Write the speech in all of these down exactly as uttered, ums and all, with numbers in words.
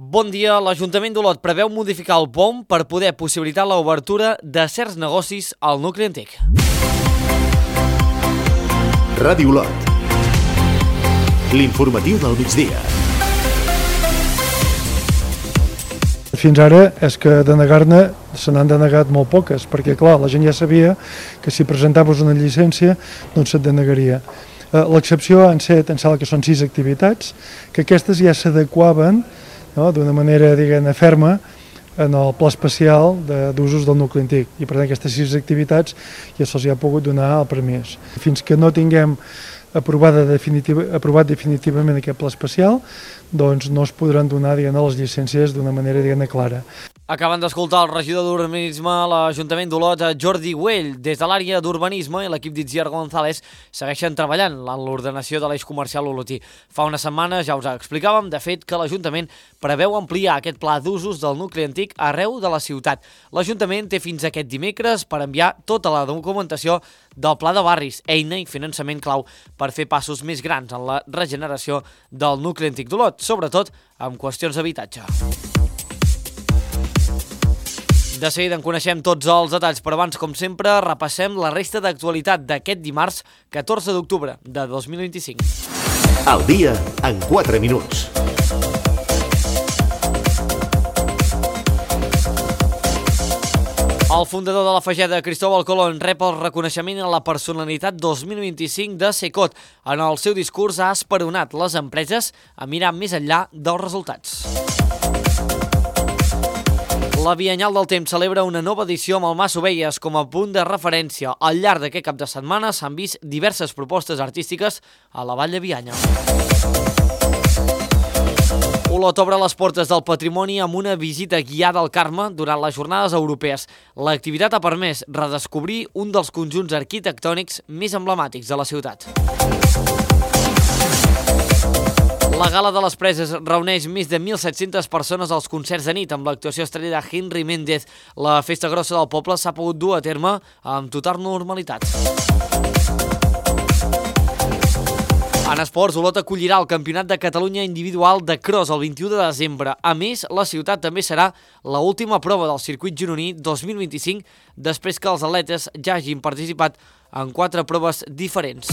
Bon dia. L'Ajuntament d'Olot preveu modificar el P O M per poder possibilitar l'obertura de certs negocis al nucli antic. Ràdio Olot. L'informatiu del migdia. Fins ara és que denegar-ne se n'han denegat molt poques, perquè clar, la gent ja sabia que si presentaves una llicència doncs se't denegaria. L'excepció han set, em sembla que són sis activitats, que aquestes ja s'adequaven, no, d'una manera, diguem-ne, ferma en el pla especial d'usos del nucli antic. I per tant aquestes sis activitats ja se'ls ha pogut donar el permís. Fins que no tinguem aprovada definitiva, aprovat definitivament aquest pla especial, doncs no es podran donar, diguem-ne, les llicències d'una manera, diguem-ne, clara. Acaben d'escoltar el regidor d'Urbanisme a l'Ajuntament d'Olot, Jordi Güell. Des de l'àrea d'Urbanisme i l'equip d'Itziar González segueixen treballant en l'ordenació de l'eix comercial olotí. Fa una setmana ja us explicàvem, de fet, que l'Ajuntament preveu ampliar aquest pla d'usos del nucli antic arreu de la ciutat. L'Ajuntament té fins aquest dimecres per enviar tota la documentació del pla de barris, eina i finançament clau per fer passos més grans en la regeneració del nucli antic d'Olot, sobretot amb qüestions d'habitatge. De seguida en coneixem tots els detalls, però abans, com sempre, repassem la resta d'actualitat d'aquest dimarts, catorze d'octubre de dos mil vint-i-cinc. Al dia en quatre minuts. El fundador de la Fageda, Cristóbal Colón, rep el reconeixement a la personalitat dos mil vint-i-cinc de Secot. En el seu discurs ha esperonat les empreses a mirar més enllà dels resultats. La Biennal del Temps celebra una nova edició amb el Mas Ovelles com a punt de referència. Al llarg d'aquest cap de setmana s'han vist diverses propostes artístiques a la Vall de Bianya. Olot obre les portes del patrimoni amb una visita guiada al Carme durant les jornades europees. L'activitat ha permès redescobrir un dels conjunts arquitectònics més emblemàtics de la ciutat. La Gala de les Preses reuneix més de mil set-centes persones als concerts de nit amb l'actuació estrella de Henry Méndez. La festa grossa del poble s'ha pogut dur a terme amb total normalitat. En esports, Olot acollirà el Campionat de Catalunya individual de cross el vint-i-u de desembre. A més, la ciutat també serà l'última prova del circuit gironí dos mil vint-i-cinc després que els atletes ja hagin participat en quatre proves diferents.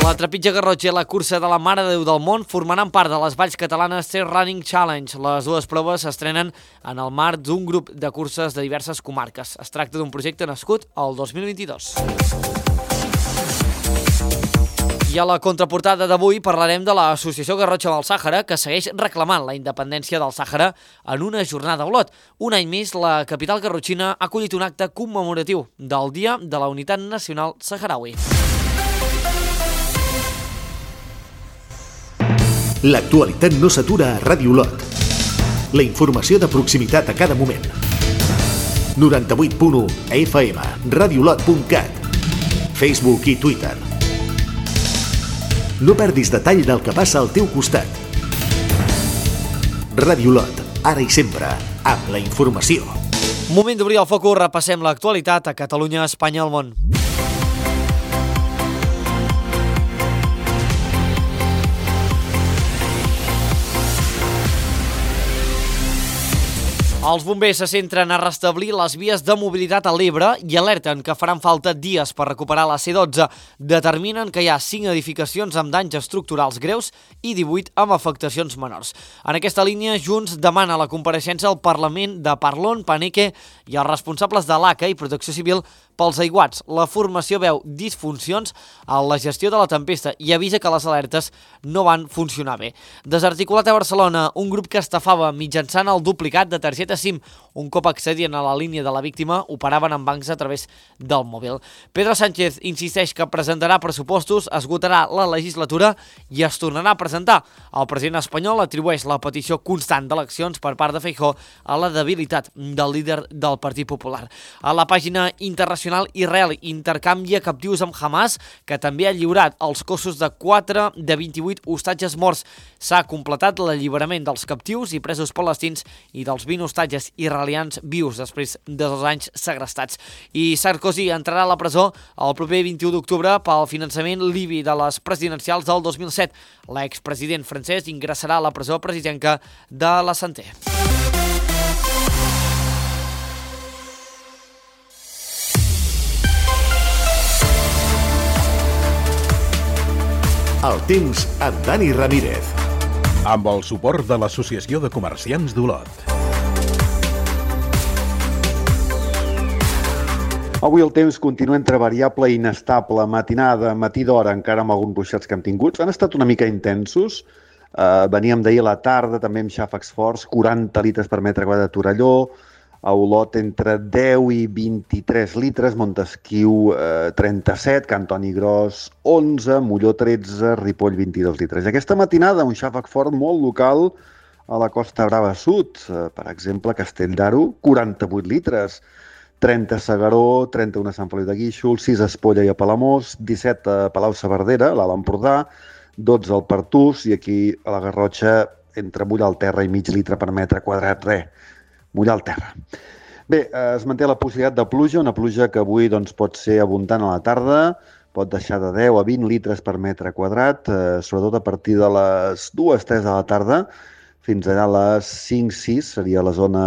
La trepitja Garrotxa i la cursa de la Mare de Déu del Món formaran part de les valls catalanes Trail Running Challenge. Les dues proves s'estrenen en el marc d'un grup de curses de diverses comarques. Es tracta d'un projecte nascut el dos mil vint-i-dos. I a la contraportada d'avui parlarem de l'Associació Garrotxa del Sàhara, que segueix reclamant la independència del Sàhara en una jornada a Olot. Un any més, la capital garrotxina ha acollit un acte commemoratiu del Dia de la Unitat Nacional Saharaui. L'actualitat no s'atura a Ràdio Olot. La informació de proximitat a cada moment. noranta-vuit punt u F M, radiolot punt cat, Facebook i Twitter. No perdis detall del que passa al teu costat. Ràdio Olot, ara i sempre, amb la informació. Moment d'obrir el focus, repassem l'actualitat a Catalunya, Espanya i el món. Els bombers se centren a restablir les vies de mobilitat a l'Ebre i alerten que faran falta dies per recuperar la C dotze. Determinen que hi ha cinc edificacions amb danys estructurals greus i divuit amb afectacions menors. En aquesta línia, Junts demana la compareixença al Parlament de Parlon, Paneque i els responsables de l'A C A i Protecció Civil pels aiguats. La formació veu disfuncions en la gestió de la tempesta i avisa que les alertes no van funcionar bé. Desarticulat a Barcelona, un grup que estafava mitjançant el duplicat de targeta SIM. Un cop accedien a la línia de la víctima, operaven en bancs a través del mòbil. Pedro Sánchez insisteix que presentarà pressupostos, esgotarà la legislatura i es tornarà a presentar. El president espanyol atribueix la petició constant d'eleccions per part de Feijóo a la debilitat del líder del Partit Popular. A la pàgina internacional internacional Israel intercanvia captius amb Hamas, que també ha lliurat els cossos de quatre de vint-i-vuit hostatges morts. S'ha completat l'alliberament dels captius i presos palestins i dels vint hostatges israelians vius després de dos anys segrestats. I Sarkozy entrarà a la presó el proper vint-i-u d'octubre pel finançament libi de les presidencials del dos mil set. L'expresident francès ingressarà a la presó presidenca de la Santé. El temps amb Dani Ramírez. Amb el suport de l'Associació de Comerciants d'Olot. Avui el temps continua entre variable i inestable. Matinada, matí d'hora, encara amb alguns ruixats que hem tingut. Han estat una mica intensos. Uh, veníem d'ahir a la tarda, també amb xàfecs forts, quaranta litres per metre quadrat a Torelló, a Olot entre deu i vint-i-tres litres, Montesquiu eh, trenta-set, Cantoni Gros onze, Molló tretze, Ripoll vint-i-dos litres. I aquesta matinada un xàfec fort molt local a la Costa Brava Sud, eh, per exemple Castell d'Aro, quaranta-vuit litres, trenta a Segaró, trenta-u a Sant Feliu de Guíxols, sis a Espolla i a Palamós, disset a Palau-saverdera, l'Alt Empordà, dotze al Pertús i aquí a la Garrotxa entre mullar al terra i mig litre per metre quadrat, res. Mullar al terra. Bé, es manté la possibilitat de pluja, una pluja que avui doncs, pot ser abundant a la tarda, pot deixar de deu a vint litres per metre quadrat, eh, sobretot a partir de les dues tres de la tarda, fins allà a les cinc sis, seria la zona,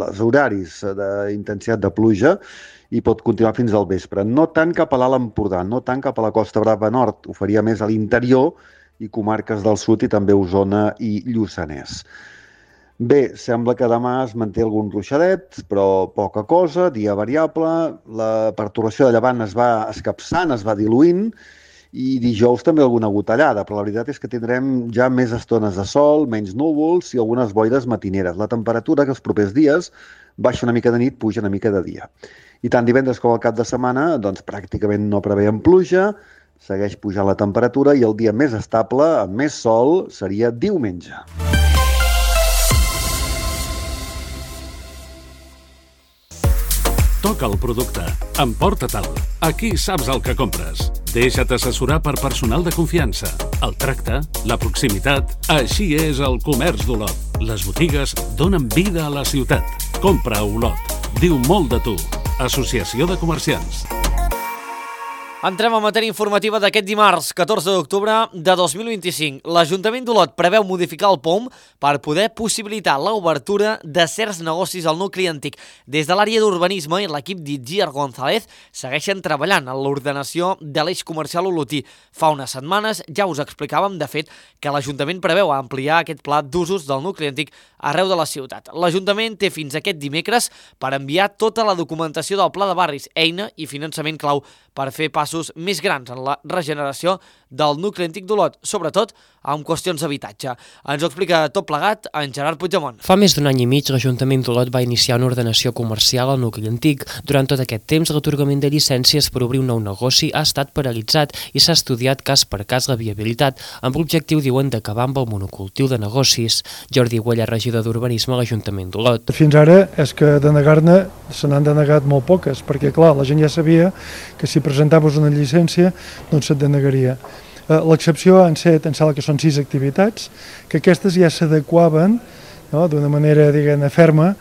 els horaris d'intensitat de pluja, i pot continuar fins al vespre. No tant cap a l'Alt Empordà, no tant cap a la Costa Brava Nord, ho faria més a l'interior i comarques del sud i també Osona i Lluçanès. Bé, sembla que demà es manté algun ruixadet, però poca cosa, dia variable, la pertorbació de llevant es va escapçant, es va diluint, i dijous també alguna gotellada, però la veritat és que tindrem ja més estones de sol, menys núvols i algunes boires matineres. La temperatura que els propers dies baixa una mica de nit, puja una mica de dia. I tant divendres com el cap de setmana, doncs pràcticament no preveiem pluja, segueix pujant la temperatura i el dia més estable, amb més sol, seria diumenge. Toca el producte. Emporta-te'l. Aquí saps el que compres. Deixa't assessorar per personal de confiança. El tracte, la proximitat... Així és el comerç d'Olot. Les botigues donen vida a la ciutat. Compra a Olot. Diu molt de tu. Associació de Comerciants. Entrem a matèria informativa d'aquest dimarts, catorze d'octubre de dos mil vint-i-cinc. L'Ajuntament d'Olot preveu modificar el P O M per poder possibilitar l'obertura de certs negocis al nucli antic. Des de l'àrea d'urbanisme i l'equip d'Itziar González segueixen treballant en l'ordenació de l'eix comercial olotí. Fa unes setmanes ja us explicàvem, de fet, que l'Ajuntament preveu ampliar aquest pla d'usos del nucli antic arreu de la ciutat. L'Ajuntament té fins aquest dimecres per enviar tota la documentació del Pla de Barris, eina i finançament clau per fer passos més grans en la regeneració del nucli antic d'Olot, sobretot amb qüestions d'habitatge. Ens ho explica tot plegat en Gerard Puigdemont. Fa més d'un any i mig, l'Ajuntament d'Olot va iniciar una ordenació comercial al nucli antic. Durant tot aquest temps, l'atorgament de llicències per obrir un nou negoci ha estat paralitzat i s'ha estudiat cas per cas la viabilitat, amb l'objectiu, diuen, d'acabar amb el monocultiu de negocis. Jordi Güella, regidor d'Urbanisme a l'Ajuntament d'Olot. Fins ara és que denegar-ne se n'han denegat molt poques, perquè clar, la gent ja sabia que si presentaves una llicència no se't denegaria. L'excepció han set, em sembla que són sis activitats, que aquestes ja s'adequaven, no, d'una manera, diguem-ne, ferma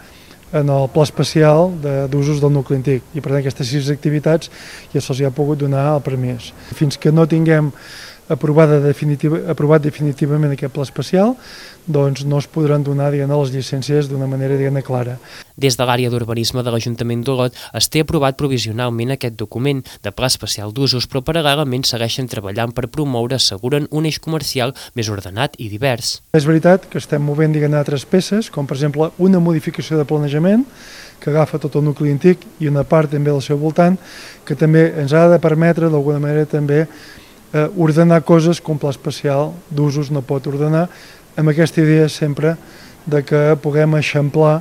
en el pla especial d'usos del nucli antic. I per tant aquestes sis activitats ja se'ls ha pogut donar el permís. Fins que no tinguem aprovada definitiva, aprovat definitivament aquest pla especial, doncs no es podran donar, diguem-ne, les llicències d'una manera, diguem-ne, clara. Des de l'àrea d'urbanisme de l'Ajuntament d'Olot es té aprovat provisionalment aquest document de pla especial d'usos, però paral·lelament segueixen treballant per promoure, asseguren, un eix comercial més ordenat i divers. És veritat que estem movent, diguem-ne, altres peces, com per exemple una modificació de planejament que agafa tot el nucli antic i una part també del seu voltant, que també ens ha de permetre d'alguna manera també eh, ordenar coses que un pla especial d'usos no pot ordenar, amb aquesta idea sempre de que puguem eixamplar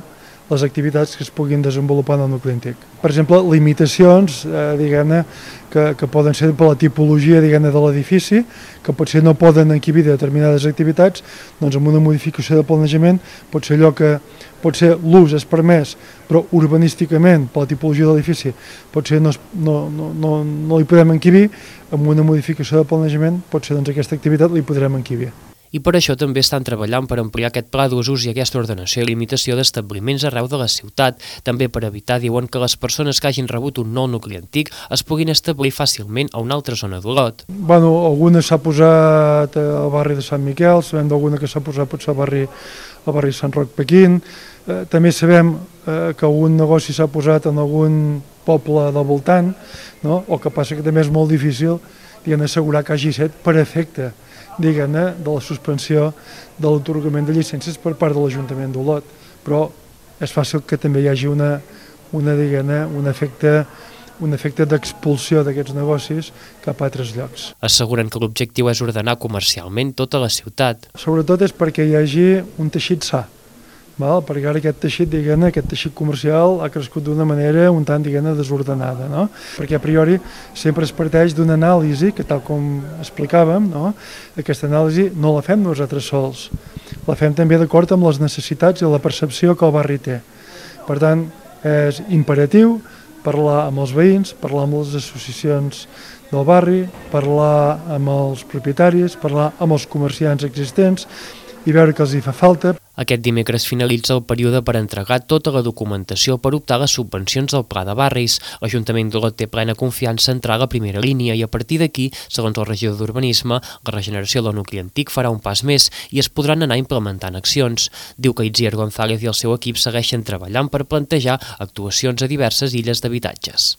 les activitats que es puguin desenvolupar en el nucli antic. Per exemple, limitacions, eh, diguem-ne, que, que poden ser per la tipologia, diguem-ne, de l'edifici, que potser no poden encabir determinades activitats, doncs amb una modificació de planejament pot ser allò que potser l'ús és permès, però urbanísticament, per la tipologia de l'edifici, potser no, no, no, no, no li podem encabir, amb una modificació de planejament, potser doncs aquesta activitat li podrem encabir. I per això també estan treballant per ampliar aquest pla d'usos i aquesta ordenació i limitació d'establiments arreu de la ciutat, també per evitar, diuen, que les persones que hagin rebut un nou nucli antic es puguin establir fàcilment a una altra zona d'Olot. Bueno, alguna s'ha posat al barri de Sant Miquel, sabem d'alguna que s'ha posat potser al barri, al barri Sant Roc Pequín, eh, també sabem eh, que algun negoci s'ha posat en algun poble del voltant, no? O que passa que també és molt difícil, diguem, assegurar que hagi set per efecte, diguem-ne, de la suspensió de l'atorgament de llicències per part de l'Ajuntament d'Olot. Però és fàcil que també hi hagi una, una diguem-ne, un efecte, un efecte d'expulsió d'aquests negocis cap a altres llocs. Asseguren que l'objectiu és ordenar comercialment tota la ciutat. Sobretot és perquè hi hagi un teixit sa, val? Perquè ara aquest teixit, diguem-ne, aquest teixit comercial ha crescut d'una manera un tant, diguem-ne, desordenada, no? Perquè a priori sempre es parteix d'una anàlisi que, tal com explicàvem, no? Aquesta anàlisi no la fem nosaltres sols, la fem també d'acord amb les necessitats i la percepció que el barri té. Per tant, és imperatiu parlar amb els veïns, parlar amb les associacions del barri, parlar amb els propietaris, parlar amb els comerciants existents i veure què els hi fa falta. Aquest dimecres finalitza el període per entregar tota la documentació per optar a les subvencions del Pla de Barris. L'Ajuntament d'Olot té plena confiança en entrar a la primera línia i a partir d'aquí, segons el regidor d'Urbanisme, la regeneració del nucli antic farà un pas més i es podran anar implementant accions. Diu que Itziar González i el seu equip segueixen treballant per plantejar actuacions a diverses illes d'habitatges.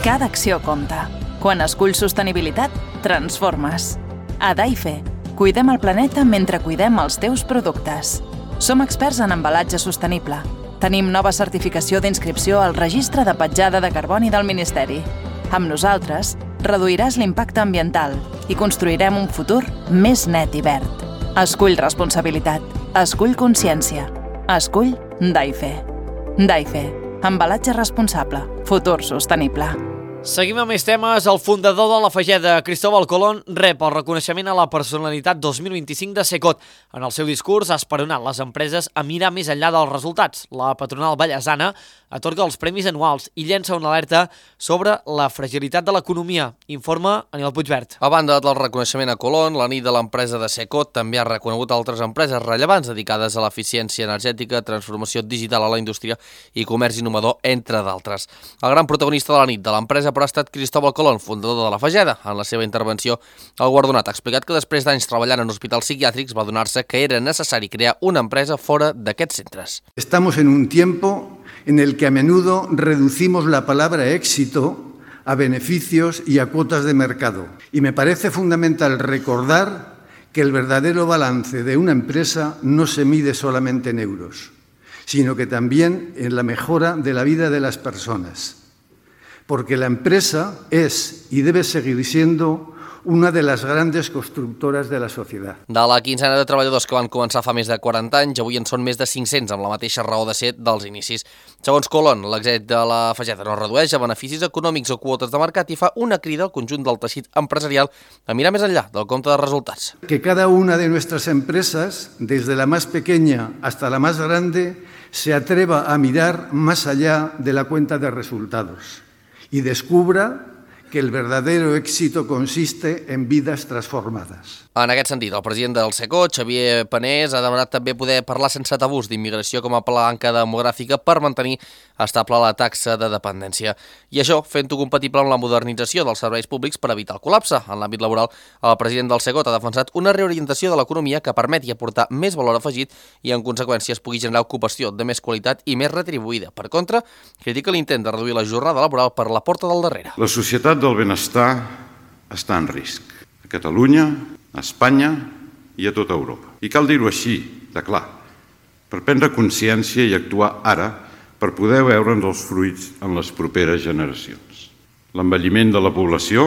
Cada acció compta. Quan esculls sostenibilitat, transformes. A Daife, cuidem el planeta mentre cuidem els teus productes. Som experts en embalatge sostenible. Tenim nova certificació d'inscripció al Registre de Petjada de Carboni del Ministeri. Amb nosaltres, reduiràs l'impacte ambiental i construirem un futur més net i verd. Escull responsabilitat. Escull consciència. Escull Daife. Daife. Embalatge responsable. Futur sostenible. Seguim amb més temes. El fundador de la Fageda, Cristóbal Colón, rep el reconeixement a la personalitat dos mil vint-i-cinc de Secot. En el seu discurs ha esperonat les empreses a mirar més enllà dels resultats. La patronal ballesana atorga els premis anuals i llença una alerta sobre la fragilitat de l'economia. Informa Aniol Puigvert. A banda del reconeixement a Colón, la nit de l'empresa de Secot també ha reconegut altres empreses rellevants dedicades a l'eficiència energètica, transformació digital a la indústria i comerç innovador, entre d'altres. El gran protagonista de la nit de l'empresa però ha estat Cristóbal Colón, fundador de la Fageda. En la seva intervenció, el guardonat ha explicat que després d'anys treballant en hospitals psiquiàtrics va donar-se que era necessari crear una empresa fora d'aquests centres. Estamos en un tiempo en el que a menudo reducimos la palabra éxito a beneficios y a cuotas de mercado. Y me parece fundamental recordar que el verdadero balance de una empresa no se mide solamente en euros, sino que también en la mejora de la vida de las personas. Porque la empresa es y debe seguir siendo una de les grandes constructores de la societat. De la quinzena de treballadors que van començar fa més de quaranta anys, avui en són més de cinc-cents, amb la mateixa raó de ser dels inicis. Segons Colón, l'exèrcit de la Fageda no redueix a beneficis econòmics o quotes de mercat i fa una crida al conjunt del teixit empresarial a mirar més enllà del compte de resultats. Que cada una de nuestras empresas, desde la más pequeña hasta la más grande, se atreva a mirar más allá de la cuenta de resultados y descubra que el verdadero éxito consiste en vidas transformadas. En aquest sentit, el president del Secot, Xavier Panés, ha demanat també poder parlar sense tabús d'immigració com a palanca demogràfica per mantenir estable la taxa de dependència. I això fent-ho compatible amb la modernització dels serveis públics per evitar el col·lapse. En l'àmbit laboral, el president del Secot ha defensat una reorientació de l'economia que permeti aportar més valor afegit i, en conseqüència, es pugui generar ocupació de més qualitat i més retribuïda. Per contra, critica l'intent de reduir la jornada laboral per la porta del darrere. La societat del benestar està en risc. A Catalunya, a Espanya i a tota Europa. I cal dir-ho així, de clar, per prendre consciència i actuar ara per poder veure'ns els fruits en les properes generacions. L'envelliment de la població,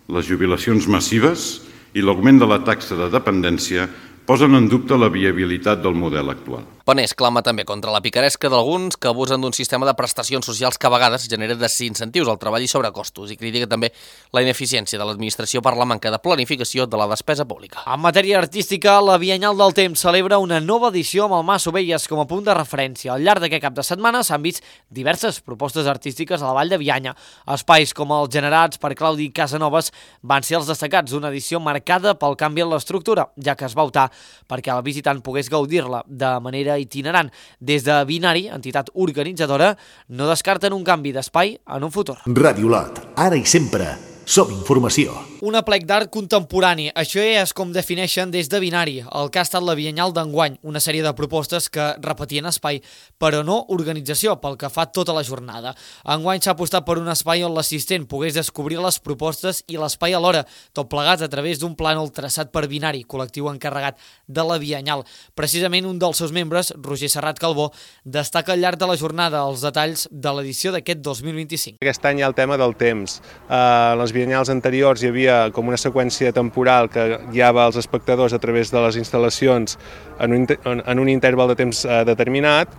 les jubilacions massives i l'augment de la taxa de dependència posen en dubte la viabilitat del model actual. Penés clama també contra la picaresca d'alguns que abusen d'un sistema de prestacions socials que a vegades genera desincentius al treball i sobrecostos, i critica també la ineficiència de l'administració per la manca de planificació de la despesa pública. En matèria artística, la Biennal del Temps celebra una nova edició amb el Mas Ovelles com a punt de referència. Al llarg d'aquest cap de setmana s'han vist diverses propostes artístiques a la Vall de Bianya. Espais com els generats per Claudi Casanovas van ser els destacats d'una edició marcada pel canvi en l'estructura, ja que es va optar perquè el visitant pogués gaudir-la de manera itinerant. Des de Binari, entitat organitzadora, no descarten un canvi d'espai en un futur. Ràdio Lot, ara i sempre, som informació. Un aplec d'art contemporani, això és com defineixen des de Binari, el que ha estat la Biennal d'enguany, una sèrie de propostes que repetien espai, però no organització, pel que fa tota la jornada. Enguany s'ha apostat per un espai on l'assistent pogués descobrir les propostes i l'espai alhora, tot plegat a través d'un plànol traçat per Binari, col·lectiu encarregat de la Biennal. Precisament un dels seus membres, Roger Serrat Calbó, destaca al llarg de la jornada els detalls de l'edició d'aquest dos mil vint-i-cinc. Aquest any hi ha el tema del temps. Uh, les biennals anteriors hi havia com una seqüència temporal que guiava els espectadors a través de les instal·lacions en un, en un interval de temps uh, determinat,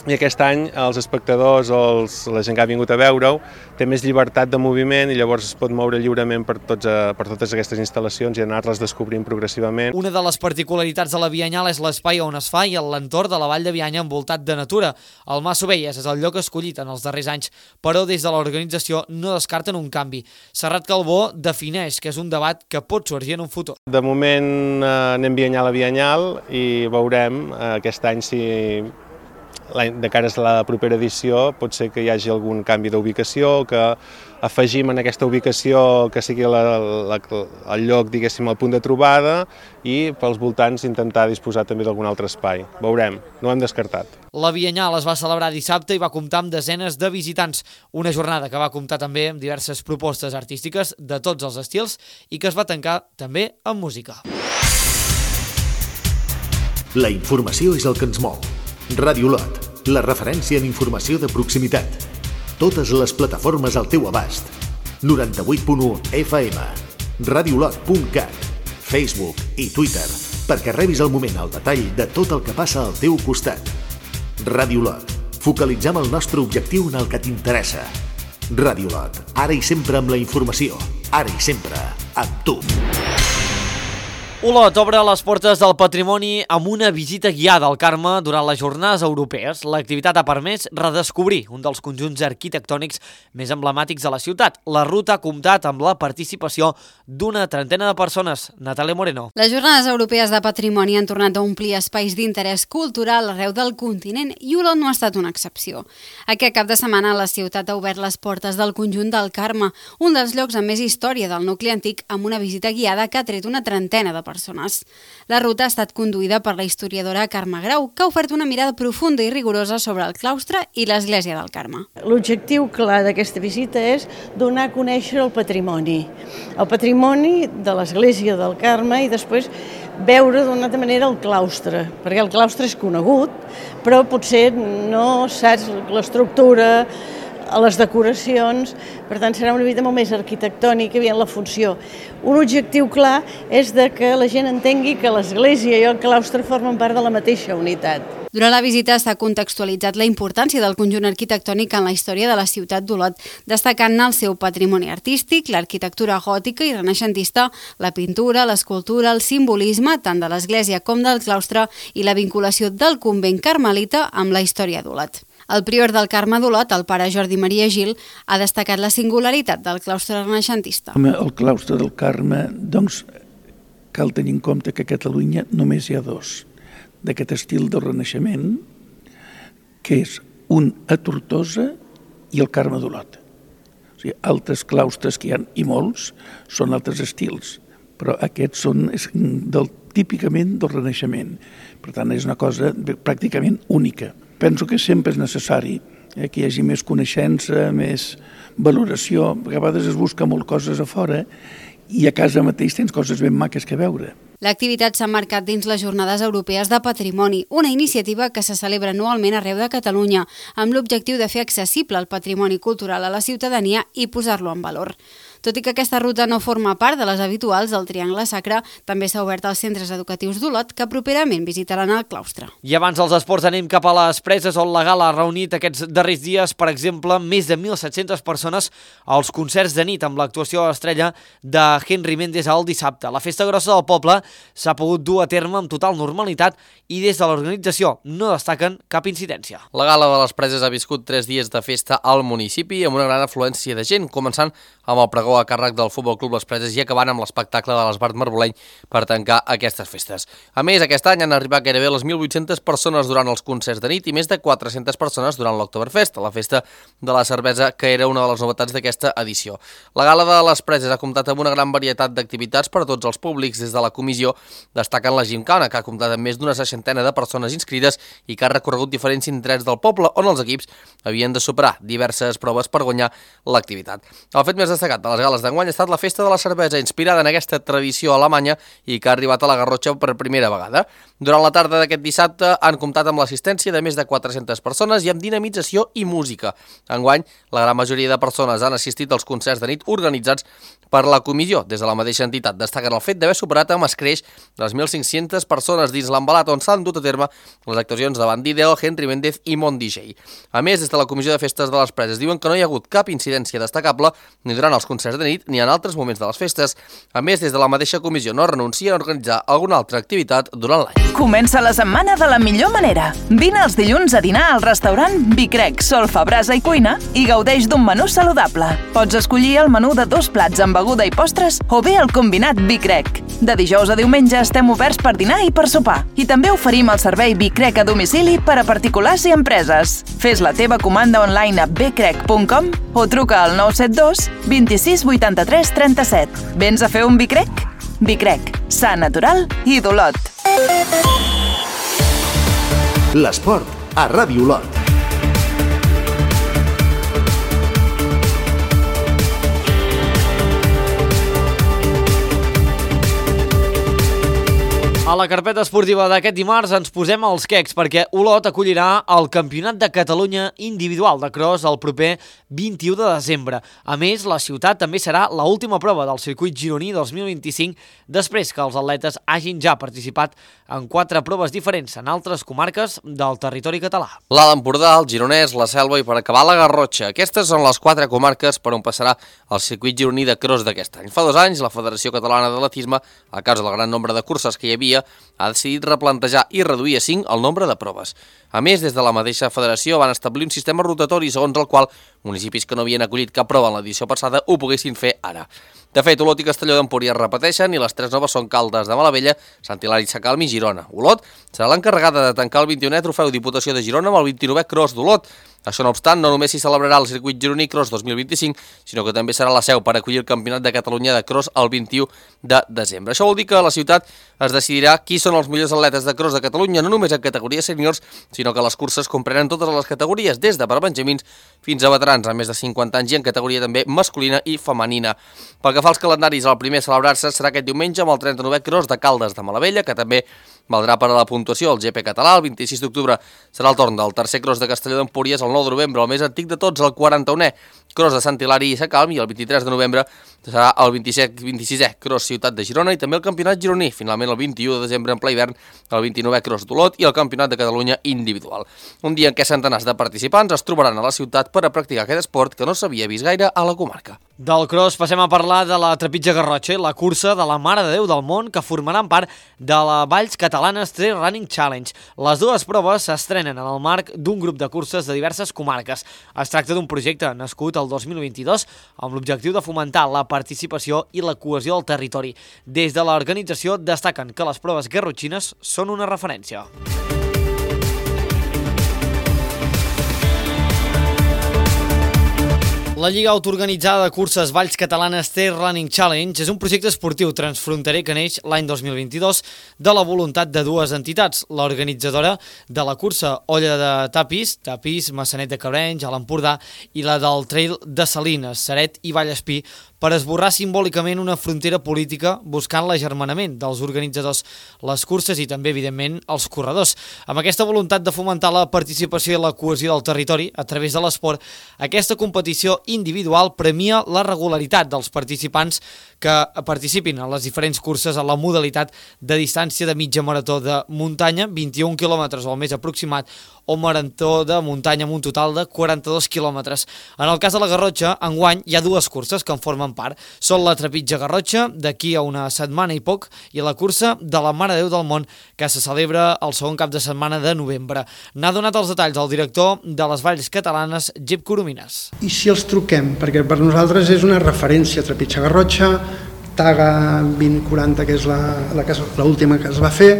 i aquest any els espectadors o els, la gent que ha vingut a veure-ho té més llibertat de moviment i llavors es pot moure lliurement per, tots, per totes aquestes instal·lacions i anar-les descobrint progressivament. Una de les particularitats de la Biennal és l'espai on es fa i l'entorn de la Vall de Bianya envoltat de natura. El Mas Ovelles és el lloc escollit en els darrers anys, però des de l'organització no descarten un canvi. Serrat Calbó defineix que és un debat que pot sorgir en un futur. De moment eh, anem biennal a biennal i veurem eh, aquest any si de cara a la propera edició pot ser que hi hagi algun canvi d'ubicació, que afegim en aquesta ubicació que sigui la, la, el lloc, diguéssim, el punt de trobada, i pels voltants intentar disposar també d'algun altre espai. Veurem, no ho hem descartat. La Biennal es va celebrar dissabte i va comptar amb desenes de visitants, una jornada que va comptar també amb diverses propostes artístiques de tots els estils i que es va tancar també amb música. La informació és el que ens mou. Ràdio Lot, la referència en informació de proximitat. Totes les plataformes al teu abast. noranta-vuit punt u F M, radiolot punt cat, Facebook i Twitter, perquè rebis al moment el detall de tot el que passa al teu costat. Ràdio Lot, focalitzem el nostre objectiu en el que t'interessa. Ràdio Lot, ara i sempre amb la informació, ara i sempre amb tu. Olot obre les portes del patrimoni amb una visita guiada al Carme durant les jornades europees. L'activitat ha permès redescobrir un dels conjunts arquitectònics més emblemàtics de la ciutat. La ruta ha comptat amb la participació d'una trentena de persones. Natàlia Moreno. Les jornades europees de patrimoni han tornat a omplir espais d'interès cultural arreu del continent i Olot no ha estat una excepció. Aquest cap de setmana la ciutat ha obert les portes del conjunt del Carme, un dels llocs amb més història del nucli antic, amb una visita guiada que ha tret una trentena de persones. La ruta ha estat conduïda per la historiadora Carme Grau, que ha ofert una mirada profunda i rigorosa sobre el claustre i l'església del Carme. L'objectiu clar d'aquesta visita és donar a conèixer el patrimoni, el patrimoni de l'església del Carme i després veure d'una altra manera el claustre, perquè el claustre és conegut, però potser no saps l'estructura, a les decoracions, per tant serà una visita molt més arquitectònica i en la funció. Un objectiu clar és de que la gent entengui que l'església i el claustre formen part de la mateixa unitat. Durant la visita s'ha contextualitzat la importància del conjunt arquitectònic en la història de la ciutat d'Olot, destacant-ne el seu patrimoni artístic, l'arquitectura gòtica i renaixentista, la pintura, l'escultura, el simbolisme, tant de l'església com del claustre, i la vinculació del convent carmelita amb la història d'Olot. El prior del Carme d'Olot, el pare Jordi Maria Gil, ha destacat la singularitat del claustre renaixentista. El claustre del Carme, doncs, cal tenir en compte que a Catalunya només hi ha dos d'aquest estil del Renaixement, que és un a Tortosa i el Carme d'Olot. O sigui, altres claustres que hi ha, i molts, són altres estils, però aquests són del, típicament del Renaixement. Per tant, és una cosa pràcticament única. Penso que sempre és necessari eh, que hi hagi més coneixença, més valoració. A vegades es busca molt coses a fora i a casa mateix tens coses ben maques que veure. L'activitat s'ha marcat dins les Jornades Europees de Patrimoni, una iniciativa que se celebra anualment arreu de Catalunya, amb l'objectiu de fer accessible el patrimoni cultural a la ciutadania i posar-lo en valor. Tot i que aquesta ruta no forma part de les habituals, el Triangle Sacre també s'ha obert als centres educatius d'Olot, que properament visitaran el claustre. I abans dels esports anem cap a les Preses, on la gala ha reunit aquests darrers dies, per exemple, més de mil set-centes persones als concerts de nit amb l'actuació estrella de Henry Méndez el dissabte. La festa grossa del poble s'ha pogut dur a terme amb total normalitat i des de l'organització no destaquen cap incidència. La gala de les Preses ha viscut tres dies de festa al municipi amb una gran afluència de gent, començant amb el pregó a càrrec del Futbol Club Les Preses i acabant amb l'espectacle de l'Esbart Marboleny per tancar aquestes festes. A més, aquest any han arribat gairebé les mil vuit-centes persones durant els concerts de nit i més de quatre-centes persones durant l'Oktoberfest, la festa de la cervesa, que era una de les novetats d'aquesta edició. La gala de les Preses ha comptat amb una gran varietat d'activitats per a tots els públics. Des de la comissió destaquen la Gimcana, que ha comptat amb més d'una seixantena de persones inscrites i que ha recorregut diferents indrets del poble on els equips havien de superar diverses proves per guanyar l'activitat. El fet més destacat de les gales d'enguany ha estat la festa de la cervesa, inspirada en aquesta tradició alemanya i que ha arribat a la Garrotxa per primera vegada. Durant la tarda d'aquest dissabte han comptat amb l'assistència de més de quatre-centes persones i amb dinamització i música. Enguany, la gran majoria de persones han assistit als concerts de nit organitzats per la comissió. Des de la mateixa entitat destaquen el fet d'haver superat amb escreix les mil cinc-centes persones dins l'embalat on s'han dut a terme les actuacions davant d'Ideo, Henry Méndez i Mont D J. A més, des de la comissió de festes de les Preses diuen que no hi ha hagut cap incidència destacable ni durant els concerts de nit ni en altres moments de les festes. A més, des de la mateixa comissió no renuncien a organitzar alguna altra activitat durant l'any. Comença la setmana de la millor manera. Vine els dilluns a dinar al restaurant Vicrec, Solfa, Brasa i Cuina i gaudeix d'un menú saludable. Pots escollir el menú de dos plats amb beguda i postres o bé el combinat Vicrec. De dijous a diumenge estem oberts per dinar i per sopar. I també oferim el servei Vicrec a domicili per a particulars i empreses. Fes la teva comanda online a becrec punt com o truca al nou set dos vint-i-sis vuitanta-tres trenta-set. Vens a fer un Vicrec? Vicrec, sa natural i d'Olot. L'esport a Ràdio Olot. A la carpeta esportiva d'aquest dimarts ens posem als quecs perquè Olot acollirà el Campionat de Catalunya individual de cross el proper vint-i-u de desembre. A més, la ciutat també serà l'última prova del circuit gironí dos mil vint-i-cinc després que els atletes hagin ja participat en quatre proves diferents en altres comarques del territori català. L'Alt Empordà, el Gironès, la Selva i per acabar la Garrotxa. Aquestes són les quatre comarques per on passarà el circuit gironí de cross d'aquest any. Fa dos anys, la Federació Catalana d'Atletisme, a causa del gran nombre de curses que hi havia, ha decidit replantejar i reduir a cinc el nombre de proves. A més, des de la mateixa federació van establir un sistema rotatori segons el qual municipis que no havien acollit cap prova en l'edició passada ho poguessin fer ara. De fet, Olot i Castelló d'Empúries repeteixen i les tres noves són Caldes de Malavella, Sant Hilari Sacalm i Girona. Olot serà l'encarregada de tancar el vint-i-unè Trofeu Diputació de Girona amb el vint-i-novè Cross d'Olot. Això no obstant, no només s'hi celebrarà el circuit gironí Cross dos mil vint-i-cinc, sinó que també serà la seu per acollir el Campionat de Catalunya de Cross el vint-i-u de desembre. Això vol dir que a la ciutat es decidirà qui són els millors atletes de cross de Catalunya, no només en categories sèniors, sinó que les curses comprenen totes les categories, des de per benjamins fins a veterans amb més de cinquanta anys i en categoria també masculina i femenina. Pel que fa als calendaris, el primer a celebrar-se serà aquest diumenge amb el trenta-novè Cross de Caldes de Malavella, que també valdrà per a la puntuació el G P català. El vint-i-sis d'octubre serà el torn del tercer Cross de Castelló d'Empúries, el nou de novembre, el més antic de tots, el quaranta-unè Cross de Sant Hilari i Sacalm, i el vint-i-tres de novembre serà el vint-i-sisè Cross Ciutat de Girona i també el Campionat gironí. Finalment, el vint-i-u de desembre en ple hivern, el vint-i-novè Cross d'Olot i el Campionat de Catalunya individual. Un dia en què centenars de participants es trobaran a la ciutat per a practicar aquest esport que no s'havia vist gaire a la comarca. Del cross passem a parlar de la trepitja Garrotxa i la cursa de la Mare de Déu del Món, que formaran part de la Valls Catalanes Trail Running Challenge. Les dues proves s'estrenen en el marc d'un grup de curses de diverses comarques. Es tracta d'un projecte nascut el dos mil vint-i-dos amb l'objectiu de fomentar la participació i la cohesió del territori. Des de l'organització destaquen que les proves garrotxines són una referència. La Lliga Autoorganitzada de Curses Valls Catalanes Trail Running Challenge és un projecte esportiu transfronterer que neix l'any dos mil vint-i-dos de la voluntat de dues entitats, l'organitzadora de la cursa Olla de Tapis, Tapis, Maçanet de Cabrenys, a l'Empordà, i la del Trail de Salines, Ceret i Vallespí, per esborrar simbòlicament una frontera política buscant l'agermanament dels organitzadors, les curses i també, evidentment, els corredors. Amb aquesta voluntat de fomentar la participació i la cohesió del territori a través de l'esport, aquesta competició individual premia la regularitat dels participants que participin en les diferents curses a la modalitat de distància de mitja marató de muntanya, vint-i-un quilòmetres o el més aproximat, o marató de muntanya amb un total de quaranta-dos quilòmetres. En el cas de la Garrotxa, enguany hi ha dues curses que en formen part. Són la Trepitja Garrotxa, d'aquí a una setmana i poc, i la cursa de la Mare de Déu del Món, que se celebra el segon cap de setmana de novembre. N'ha donat els detalls el director de les Valls Catalanes, Gep Coromines. I si els truquem? Perquè per nosaltres és una referència, Trepitja Garrotxa, Taga vint quaranta, que és l'última que es va fer,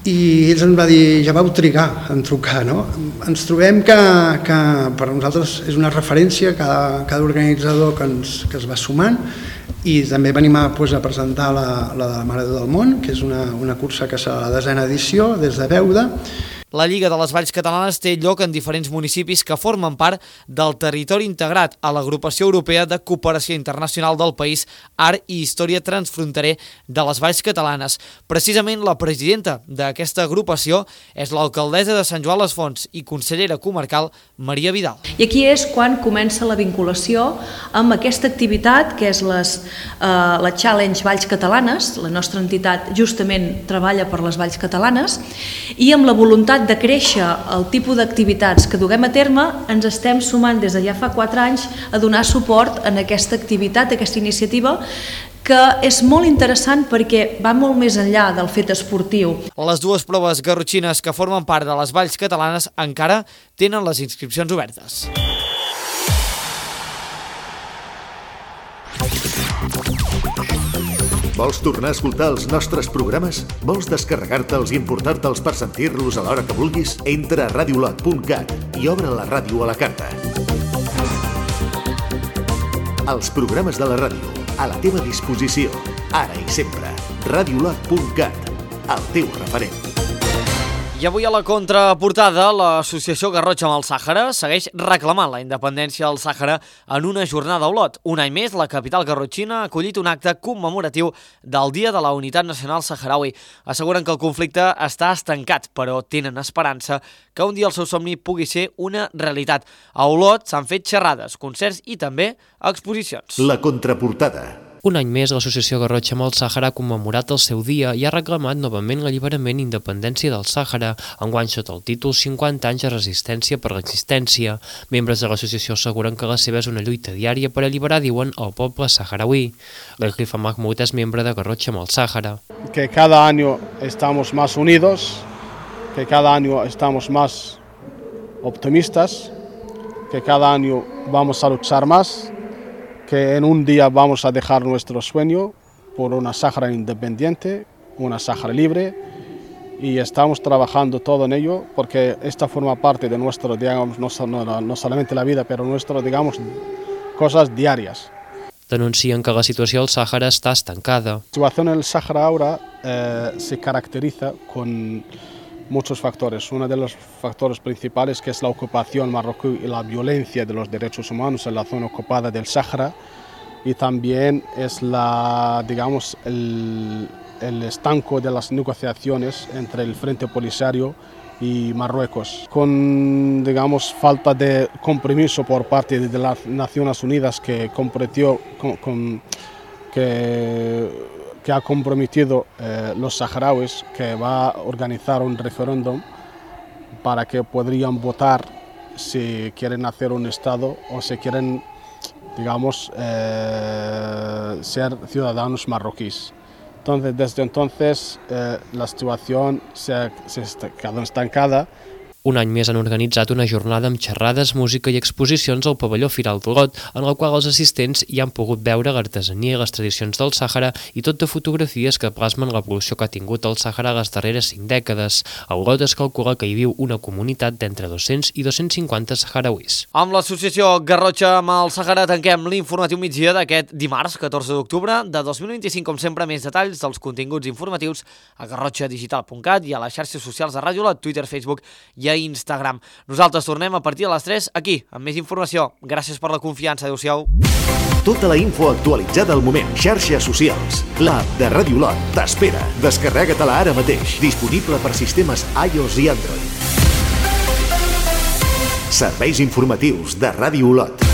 i ells ens va dir, ja vau trigar en trucar, no? Ens trobem que, que per nosaltres és una referència, cada, cada organitzador que, ens, que es va sumant, i també venim a, pues, a presentar la, la de la Mare de Déu del Món, que és una, una cursa que és la desena edició, des de Beuda. La Lliga de les Valls Catalanes té lloc en diferents municipis que formen part del territori integrat a l'Agrupació Europea de Cooperació Internacional del País, Art i Història Transfronterer de les Valls Catalanes. Precisament la presidenta d'aquesta agrupació és l'alcaldessa de Sant Joan les Fonts i consellera comarcal Maria Vidal. I aquí és quan comença la vinculació amb aquesta activitat que és les, eh, la Challenge Valls Catalanes. La nostra entitat justament treballa per les Valls Catalanes i amb la voluntat de créixer el tipus d'activitats que duguem a terme, ens estem sumant des de ja fa quatre anys a donar suport en aquesta activitat, aquesta iniciativa, que és molt interessant perquè va molt més enllà del fet esportiu. Les dues proves garrotxines que formen part de les Valls Catalanes encara tenen les inscripcions obertes. Vols tornar a escoltar els nostres programes? Vols descarregar-te'ls i importar-te'ls per sentir-los a l'hora que vulguis? Entra a radiolot punt cat i obre la ràdio a la carta. Els programes de la ràdio, a la teva disposició, ara i sempre. radiolot punt cat, el teu referent. I avui a la contraportada, l'associació Garrotxa amb el Sàhara segueix reclamant la independència del Sàhara en una jornada a Olot. Un any més, la capital garrotxina ha acollit un acte commemoratiu del Dia de la Unitat Nacional Saharaui. Asseguren que el conflicte està estancat, però tenen esperança que un dia el seu somni pugui ser una realitat. A Olot s'han fet xerrades, concerts i també exposicions. La contraportada. Un any més, l'associació Garrotxa amb el Sàhara ha commemorat el seu dia i ha reclamat novament l'alliberament i independència del Sàhara, enguany sota el títol cinquanta anys de resistència per l'existència. Membres de l'associació asseguren que la seva és una lluita diària per alliberar, diuen, el poble saharauí. L'Elkrifa Mahmoud és membre de Garrotxa amb el Sàhara. Que cada año estamos más unidos, que cada año estamos más optimistas, que cada año vamos a luchar más, que en un día vamos a dejar nuestro sueño por una Sáhara independiente, una Sáhara libre, y estamos trabajando todo en ello porque esta forma parte de nuestro, digamos, no, no, no solamente la vida, pero nuestro, digamos, cosas diarias. Denuncien que la situació al Sàhara està estancada. La situación en el Sáhara ahora eh, se caracteriza con muchos factores. Uno de los factores principales que es la ocupación marroquí y la violencia de los derechos humanos en la zona ocupada del Sáhara, y también es la, digamos, el, el estanco de las negociaciones entre el Frente Polisario y Marruecos, con, digamos, falta de compromiso por parte de las Naciones Unidas que comprometió con, con, que que ha comprometido eh, los saharauis que va a organizar un referéndum para que podrían votar si quieren hacer un Estado o si quieren, digamos, eh, ser ciudadanos marroquíes. Entonces, desde entonces, eh, la situación se ha, se ha quedado estancada. Un any més han organitzat una jornada amb xerrades, música i exposicions al pavelló Firal d'Olot, en la qual els assistents hi han pogut veure l'artesania i les tradicions del Sàhara i tot de fotografies que plasmen l'evolució que ha tingut el Sàhara les darreres cinc dècades. A Olot es calcula que hi viu una comunitat d'entre dos-cents i dos-cents cinquanta saharauis. Amb l'associació Garrotxa amb el Sàhara tanquem l'informatiu migdia d'aquest dimarts, catorze d'octubre de dos mil vint-i-cinc. Com sempre, més detalls dels continguts informatius a garrotxa digital punt cat i a les xarxes socials de Ràdio Olot, Twitter, Facebook i a a Instagram. Nosaltres tornem a partir de les tres aquí, amb més informació. Gràcies per la confiança. Adéu-siau. Tota la info actualitzada al moment. Xarxes socials. L'app de Ràdio Lot t'espera. Descarrega-te-la ara mateix. Disponible per sistemes iOS i Android. Serveis informatius de Ràdio Lot.